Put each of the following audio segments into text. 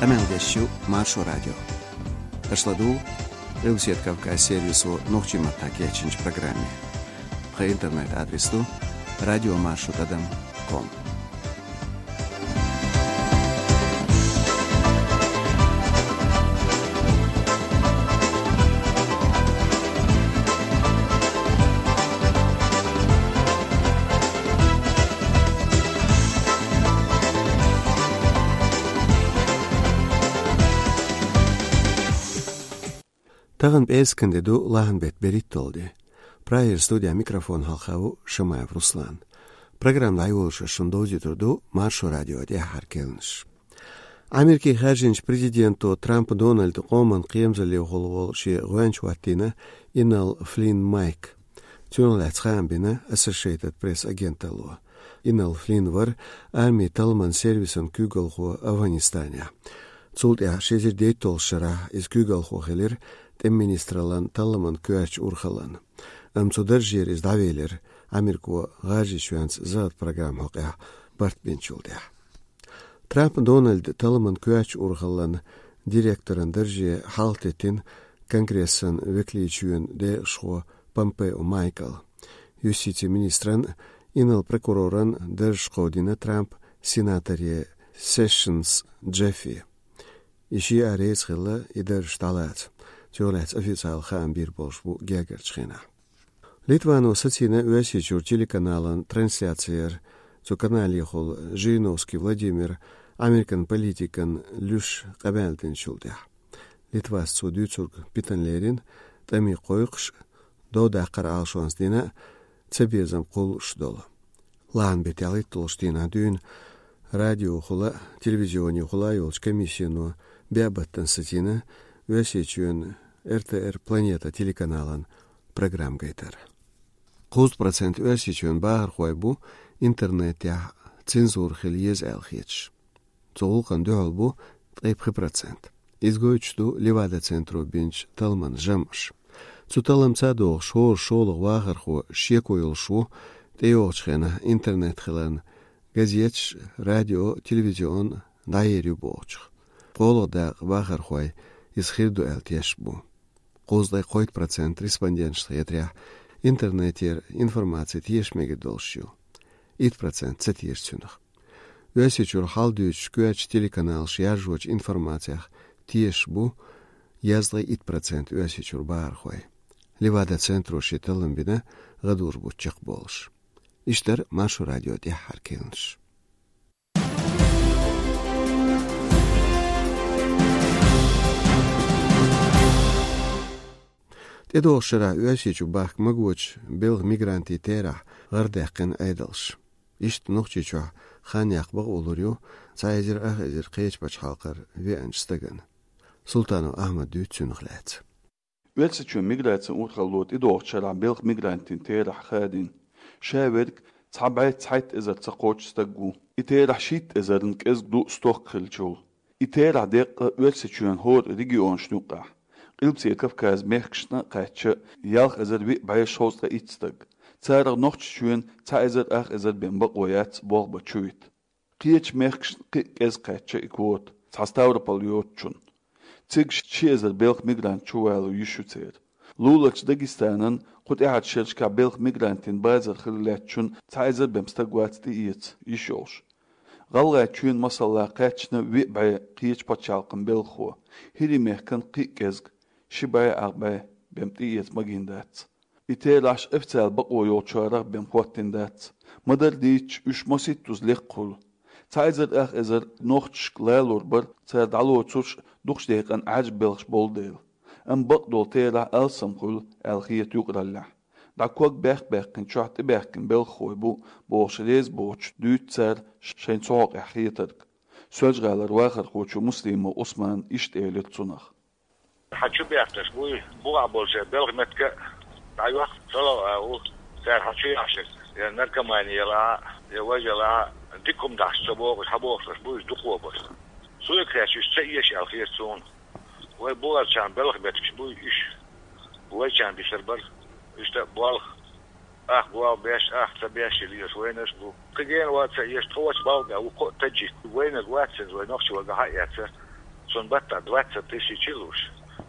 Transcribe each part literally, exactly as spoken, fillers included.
Къамел деш ю Маршо радио. Аша ладугӀу Къилбаседа Кавказ сервисо нохчийн маттахь кечйинчу программе. Тхан интернет-адрес ду радиомаршо тӀадам ком. Тахана пӀераскан де ду, лахьан беттан берхӀитталгӀа де. Прагера студехь микрофон хьалха ву Шамаев Руслан. Программа дӀайолош ас шуна довзуьйтур ду Маршо радион тӀаьххьара керланаш. Америкин хаьржинчу президенто Трамп Дональда къоман кхерамзаллехула волу шен гӀоьнча хӀоттийна Иннал Флинн Майк. Цунах лаьцна хаам бина Associated Press агенталло. Иннал Флинн вара армин талламан сервисан куьйгалхо Афганистанехь. Цул тӀаьхьа ши эзар дейтталгӀачу шарахь иза куьйгалхо хилира тӀеман министраллан талламан коьртачу урхаллан. Амма цу даржера иза дӀавелира, Америко ГӀажарийчоьнца захӀат программа хьокъехь барт бинчул тӀаьхьа. Трамп Дональда талламан коьртачу урхаллан директоран дарже хьалхатеттина Конгрессан векаларчоьнан декъашхо Помпео Майкла. Юстицин министран, инарла прокуроран даржаш кховдийна Трампа сенаторе Сешенс Джеффе. И шиъ а реза хилла и даржаш дӀалаца. Цунах лаьцна официалан хаам бийр болуш бу гергарчу хенахь. Литвано сацийна Оьрсийчуьра телеканалан трансляцияра. Цу каналехула Жириновский Владимира Американ политикан луьш къамел динчул тӀаьхьа. Литвас цо дуьйцург питана лерина, тӀаме кхойкхуш, дов даккхар Ӏалашонца дина а, цабезам кхуллуш долу. Лахьан беттан ялхитталгӀачу дийнахь дуьйна радиохула, телевизионехула йолчу комиссино беа баттана сацийна Оьрсийчоьнан Р Т Р Планета телеканалан программа гайтар. Кхузткъа процент Оьрсийчоьнан бахархой бу интернетехь цензура хила еза аьлла хеташ. Цу гӀуллакхна дуьхьал бу ткъе пхи процент. Иза гойтуш ду Левада-центро бинчу талламан жамӀаш. Цу талламца догӀуш, хӀора шолгӀа вахархо шеко йолуш ву, тӀейогӀучу хенахь интернет хиларна, газеташ, радио, телевизион дӀаер ю бохучух. КхоалгӀа дакъа вахархой иза хир ду аьлла тешаш бу. Кхузткъе кхойтта процент респонденташна хетарехь, интернетера информаци теша мегар долуш ю. Итт процент ца теша цунах. Оьрсийчуьра хьал дуьйцучу коьртачу телеканалаша яржочу информацех тешаш бу язткъе итт процент Оьрсийчуьра бахархой. Левада-центро шен таллам бина гӀадужу бутт чекхболуш. Иштта дара Маршо радион тӀаьххьара керланаш. ТӀедогӀучу шарахь Оьрсийчу бахка магочу белхан мигрантийн терахь гӀардаьккхина Ӏедалш. Иштта Нохчийчохь хан яккха бакъо лур ю цхьа эзар ах эзар кхечу пачхьалкхара веанчу стагана. Султанов Ахьмада дуьйцу цунах лаьцна. Оьрсийчоьнан миграцин урхалло тӀедогӀучу шарахь белхан мигрантийн терахь хадийна. Ша верг цхьа бӀе цхьайтта эзар ца кхоччу стаг ву. И терахь шийтта эзарна кӀезиг ду стохка хиллачул. И терахь деккъа Оьрсийчоьнан хӀора регионашна юккъехь. Къилбаседа Кавказан мехкашна а кхаьчча, ялх эзар виъ бӀе шовзткъе итт стаг. Царах Нохчийчоьнан цхьа эзар ах эзар бен бакъо яц болх бан чу вита. Кхечу мехкашна кхин а кӀезиг кхаьчна и квота, цхьа Ставрополь йоцучунна. Цига ши эзар белхан мигрант чувало йиш ю церан. Луларчу Дагестанан кху тӀаьхьарчу шерашкахь белхан мигрантийн базар хила лаьттачунна цхьа эзар бен стаг вац тӀеэца йиш йолуш. ГӀалгӀайчоьнан, масала, кхаьчна виъ бӀе кхечу пачхьалкхан белхахо, ХӀирийн мехкан кхин а кӀезиг, ши бӀе ах бӀе бен тӀеэца магийна дац. И терахьаш официалан бакъо йолчарах бен хӀоттийна дац. Ма-дарра дийцича, уьш масийттаза лекха хуьлу. Цхьа эзар ах эзар нохчашка лалур бара, цара дӀалоцурш дукхачу декъана Ӏаьржа белхаш болу дела. Амма бакъдолу терахь алсам хуьлу аьлла хета юкъараллехь. ДӀа ког баьккх-баьккхина чохь тӀебаьхкина белхахой бу бохуш реза боцуш дуьйцу цара шайна цу хьокъехь хетарг. Соьлжа-ГӀалара вахархочо Муслимов Ӏусмана иштта элира цунах. Хьан чу бехкаш буй, бухахь болчеран белхан меттиг а дӀайохку, ца ло а ву, цара хьан чу яхьаш, я наркомани елахь а, я важа елахь а, дика хӀума дахьаш ца бохуш, хьан бохуш буй, дукхо баш. Суьйга хеташ уьш ца эша аьлла хета суна. Вай бухарчарна белхан меттигаш буй уьш. Вайчарна дисар бара. Уьш тӀа болх, ах болх беш, ах ца беш хила езаш вайнарш а бу. Кхин гена вац ца эша, тхо вачу балхана ву кхо а таджик. Вайнарг вац иза, вай нохчи варгахь а эцна. Цунна баттахь двадцать тысяч луш.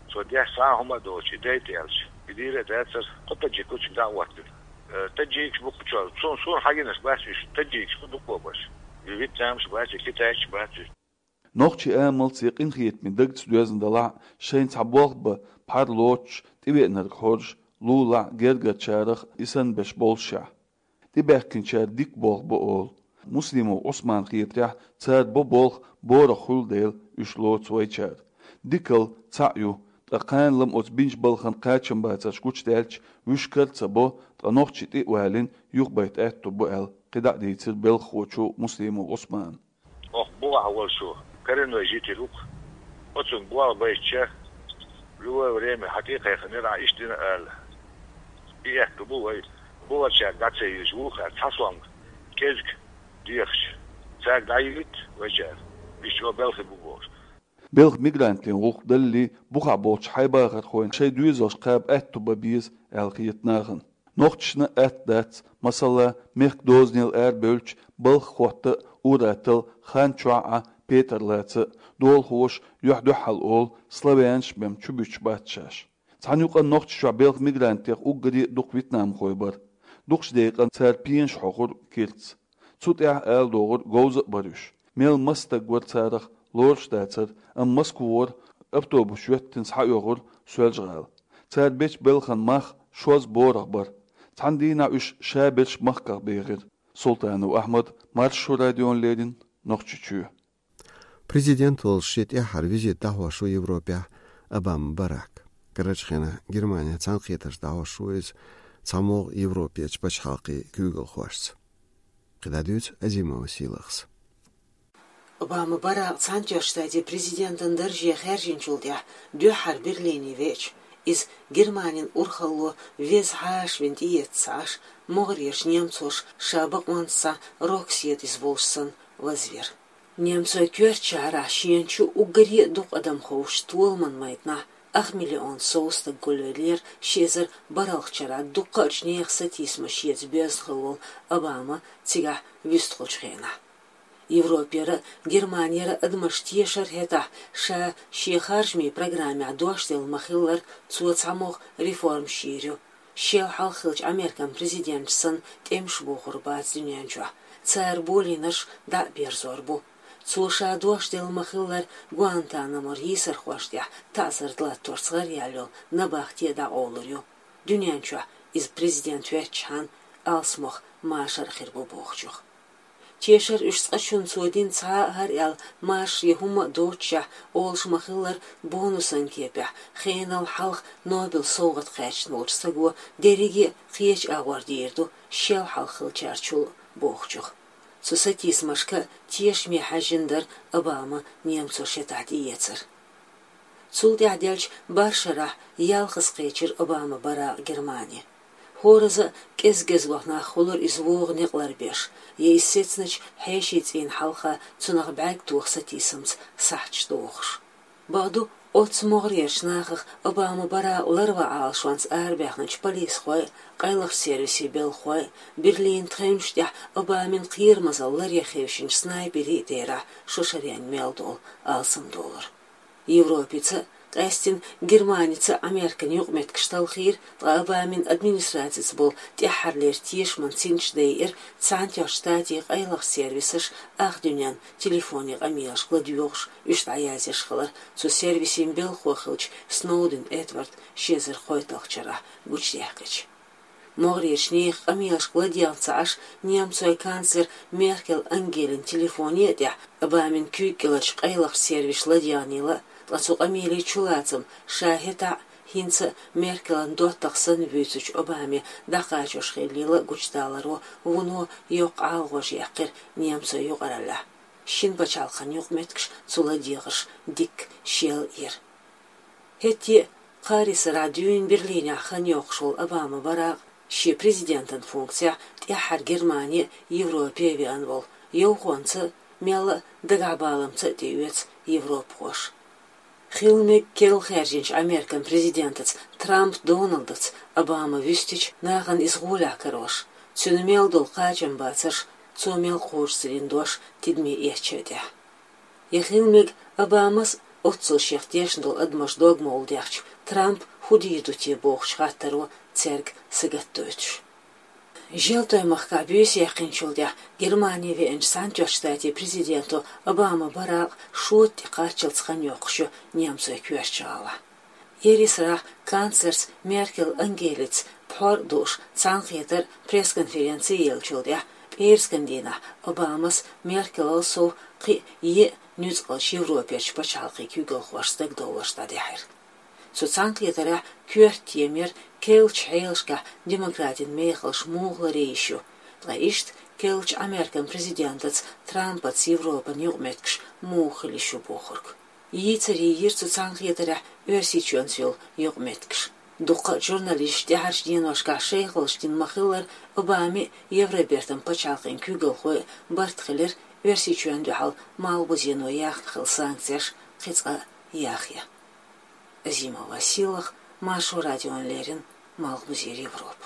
Цо деш цхьа а хӀума а доцуш, и дайта аьлча, и дийр а дацара, кху таджикашка дӀа а хӀоттийна. Э, таджикаш бу кху чохь, цунна суна хьагинарш бац уьш, таджикаш бу дукхо барш. И вьетнамцаш бац, и китайцаш бац уьш. Нохчийн амалца я къинхетаме дагца доьзна далахь а, шайна цхьа болх бан пхьар лоцуш, тӀевеанарг хьожуш, лулахь а, гергарчарах а и санна берш боллушехь. ТӀебаьхкинчара дика болх бо олу. Муслимов Ӏусманна хетарехь, цара бо болх борах хуьлу дела, уьш лоцу вайчара. Дикалла цхьаъ ю, ткъа кхана-м оцу бинчу балхана кхачамбацарш гучудаьлча, вуьшкара а ца бо, ткъа нохчий тӀе а валийна, юхабайта аьтту бу аьлла, кхидӀа а дийцира белхахочо Муслимов Ӏусмана. Оха бухахь волчо коренной житель ву-кх. Оцунна болх байтича, любое время хьан тӀе а кхайкхинера, ахь иштта дина ала. И аьтту бу вай. Бухарчаьрга дӀа ца йиллича, вукхара цхьа сом кӀезиг дехча, цаьрга дӀайиллийта вайчара. Иштта чӀогӀа белхи бу бохуш. Белхан мигрантийн гӀуллакх далале, бухахь болчу хьайбахархойн шайн доьзалш кхаба аьтту бан беза аьлла хета нахана. Нохчашна атта дац, масала, мехкан дозанел арабевлча, балха хӀотта а, ур-атталла хан чохь а, петар лаца а, долахоша юьхь-дуьхьал олу, славянаш бен чубуьтуш бац шаьш. Цхьана юкъанна Нохчийчохь белхан мигрантех уггаре а дукха вьетнамхой бара. Дукхачу декъана цара пенаш хьоьхура киртца. Цу тӀехь, ала догӀура, говза а бара уьш. Мел маса стаг вара царах, лоруш дацара, амма Москвара автобус йоьттина схьаоьхура Соьлжа-ГӀала. Цара бечу белхан мах шозза борах бара. Цхьана дийнахь уьш шаберш махках бехира. Султанов Ахьмад, Маршо радиона леррина, Нохчийчоь. Президент волуш шен тӀаьххьара визит дӀахьош ву Европехь Обама Барак. Карарчу хенахь Германехь цхьаьнакхетарш дӀахьош ву иза цхьамогӀа Европерчу пачхьалкхийн куьйгалхошца. КхидӀа дуьйцу Азимова Сийлахьас. Обама Барак Цхьаьнатоьхначу Штатийн президентан дарже хаьржинчул тӀаьхьа дуьххьара Берлине веача, иза Германин урхалло веза хьаша вина тӀеэца ца Ӏаш, могӀарерчу немцоша ша бакъонца схьа роксетиз волуш санна вазвира. Немцойн коьртачу шахьарахь шена чу уггаре а дукха адам ховшучу толаман майданахь ах миллион сов стаг гулвеллера ши эзар бархӀалгӀачу шарахь дуккхачу нехан сатийсамаш шеца боьзна хилла волу Обама цигахь вуьстуьйтучу хенахь. Европера а, Германера а адамаш тешара хӀетахь, ша шен харжамийн программехь дош делла ма-хиллара, цо цхьамогӀа реформаш йийр ю. Шел хьалха хиллачу Американ президенташа санна тӀемаш бохур бац дуьнен чохь, цара болийнарш дӀа а берзор бу. Цо ша дош делла ма-хиллара, Гуантанамора йийсархошна тӀехь таӀзар латторца гӀараяьлла йолу набахте а дӀакъовлур ю. Дуьнен чохь иза президент ваьччхьана алсамох машар хир бу бохучух. Тешара уьш цкъачунна цо дина цхьа а хӀара аьлла машар я хӀумма а доццушехь олуш ма-хиллара, бонусан кепехь хенал хьалха Нобелан совгӀат кхаьчна волчу стага дерриге а кхечу агӀор дийр ду шел хьалха хиллачаьрчул а бохучух. Цу сатийсамашка тешаме хьаьжжина дара Обама немцош шатахь тӀеэцар. Цул тӀаьхьа деллачу бархӀ шарахь ялхаза кхечира Обама Барак Германи. ХӀоразза а кӀезиг-кӀезиг нах хуьлура иза вогӀу некъ ларбеш, я иза сецначу хьешийн цӀийнан хьалха цунах бӀаьрг тоха сатийсамца сахьташ дохуш. Бакъду, оццу могӀарерчу нахах Обама Барак ларван Ӏалашонца арабаьхначу полисхойн а, къайлахчу сервисийн белхахойн а, Берлинан тхевнаш тӀехь Обамин кхерамазалла ларъян хевшинчу снайперийн а терахь шо шаренга мел долу алсамдолура. Европица а, къаьсттина Германица а Американ юкъаметтигаш талхийра, ткъа Обамин администрацица болу тӀаьххьарлера тешаман цӀераш дайира Цхьаьнатоьхначу Штатийн къайлахчу сервисаша ах дуьненна телефонийн къамелашка ладоьгӀуш, уьш дӀаязъеш хилар, цу сервисийн белхахо хиллачу Сноуден Эдварда ши эзар кхойтталгӀачу шарахь гучудаьккхича. МогӀарерчу нехан къамелашка ладегӀна ца Ӏаш, немцойн канцлер Меркел Ангелин телефоне а тӀехь Обамин куьйга кӀеларчу къайлахчу сервисаша ладегӀнийла, ткъа цу къамелийн чулацам ша хӀетахь а, хӀинца а Меркелан доттагӀа санна вуьйцучу Обаме дӀакхачош хиллийла гучудаларо вуно йоккха ӀалагӀожа яьккхира немцойн юкъараллехь. Шина пачхьалкхан юкъаметтигаш цу ладегӀарш дикка шелъяра. ХӀетте а, кхаарисарахь дуьйна Берлинехь хан йоккхуш волу Обама Барак шен президентан функцехь тӀаьххьара Германе а, Европе а веана волу, йовхонца а, мелла а дагахьбаламца а тӀеоьцу европахоша. Хила мега керла хаьржинчу Американ президентаца Трамп Доналдаца Обама вуьстича, нахана иза гӀолехь карош, цуьнан мел долу кхачамбацарш, цо мел кхочушдина дош тидаме эцча а тӀехь. Я хила мега Обамас а, Оццул шех тешна долу адамаш догмалла дехча, Трамп хӀун дийр ду те бохучу хаттаро цаьрга сагатдойтуш. Желтойн махкахь буьйса яьккхинчул тӀаьхьа Германи веанчу Цхьаьнатоьхначу Штатийн президенто Обама Баракъ шота тӀе кхаччалц хан йоккхуш ю немцойн коьртачу гӀалахь. Ерриг сарахь канцлерца Меркел Ангелица пхьор а дууш цхьаьнакхетар а, пресс-конференци а еллачул тӀаьхьа, пӀераскан дийнахь Обамас Меркелал сов кхин а еа нуьцкъалчу Европерчу пачхьалкхийн куьйгалхошца дагадовларш дӀадаьхьира. Цу цхьаьнакхетарехь коьрта тема яра керлачу хьелашкахь демократийн мехаллаш муха ларъе йиш ю, ткъа иштта керлачу Американ президентаца Трампаца Европан юкъаметтигаш муха хила йиш ю бохург. Йийцаре йира цу цхьаьнакхетарехь Оьрсийчоьнца йолу юкъаметтигаш. Дуккха а журналисташ тӀаьхьарчу деношкахь шайхаллаш дина ма-хиллара, Обамин а, Евробертан пачхьалкхийн куьйгалхойн а барт хилира Оьрсийчоьнна дуьхьал Малхбузено яьхна хилла санкцеш кхин цкъа а яхъян. Азимова Сийлаха, Маршо радиона леррина, Малхбузера Европа.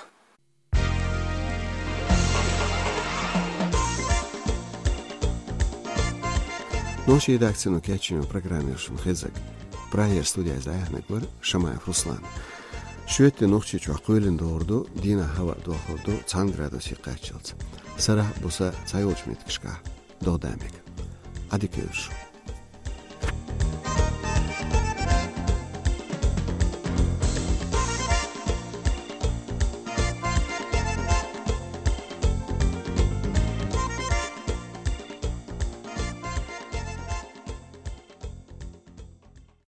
Нохчийн редакцино кечйина программа яра шуна хезнарг. Прагера студехь иза дӀаяьхьнарг вара Шамаев Руслан. Шоьтан де Нохчийчохь кхоьлина догӀур ду, дийнахь хӀаваъ дохур ду цхьана градусе кхаччалц. Сарахь а, буса а цхьайолчу меттигашкахь догӀа дан мега. Ӏадика йойла шун.